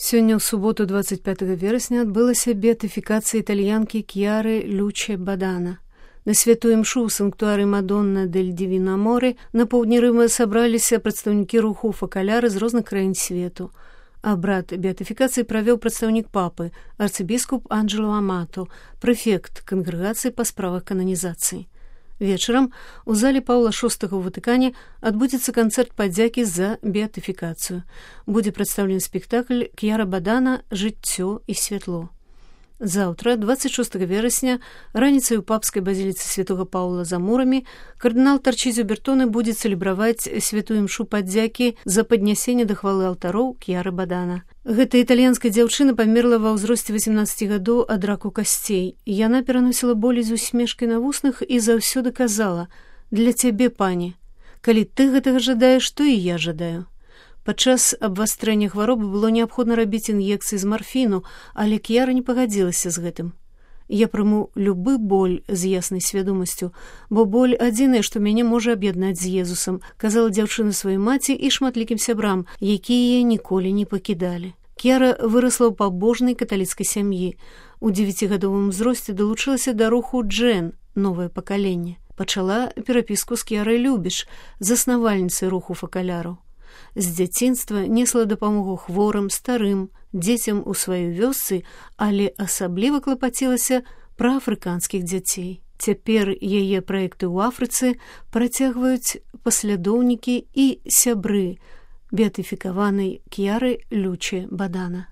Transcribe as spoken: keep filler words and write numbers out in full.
Сёння ў суботу двадцать пятого верасня адбылася беатыфікацыя італьянкі Кьяры Люче Бадана. На святую імшу ў санктуары Мадонна дель Дивино Аморе на поўдні Рыма сабраліся прадстаўнікі руху факаляры з розных краін свету. Абрад беатыфікацыі правёў прадстаўнік папы, арцыбіскуп Анджело Амато, прэфект кангрэгацыі па справах кананізацыі. Вечарам у зале Паўла шостага ў Ватыкане адбудзецца канцэрт падзякі за беатыфікацыю. Будзе прадстаўлены спектакль «Кьяра Бадана. Жыццё і святло». Заўтра, двадцать шостого верасня, раніцай у папскай базіліцы святога Паўла за мурамі кардынал Тарчызіо Бертоне будзе цэлебраваць святую імшу падзякі за паднясенне да хвалы алтароў Кьяры Бадана. Гэта італьянская дзяўчына памерла ва ўзросце восемнадцати гадоў ад раку касцей. Яна пераносіла болі з усмешкай на вуснах і заўсёды казала: «Для цябе, пані, калі ты гэтага жадаеш, то і я жадаю». Падчас абвастрэння хваробы было неабходна рабіць ін'екцыі з марфіну, але Кьяра не пагадзілася з гэтым. «Я прыму любы боль з яснай свядомасцю, бо боль адзінае, што мяне можа аб'яднаць з Езусам», казала дзяўчына сваёй маці і шматлікім сябрам, якія яе ніколі не пакідалі. Кьяра вырасла ў пабожнай каталіцкай сям'і. У дзевяцігадовым узросце далучылася да руху Джен, новае пакаленне. Пачала перапіску з Кьярай Любіш, заснавальніцай руху факаляраў. З дзяцінства несла дапамогу хворым, старым, дзецям у сваёй вёсцы, але асабліва клапацілася пра афрыканскіх дзяцей. Цяпер яе праекты ў Афрыцы працягваюць паслядоўнікі і сябры беатыфікаванай Кьяры Люче Бадана.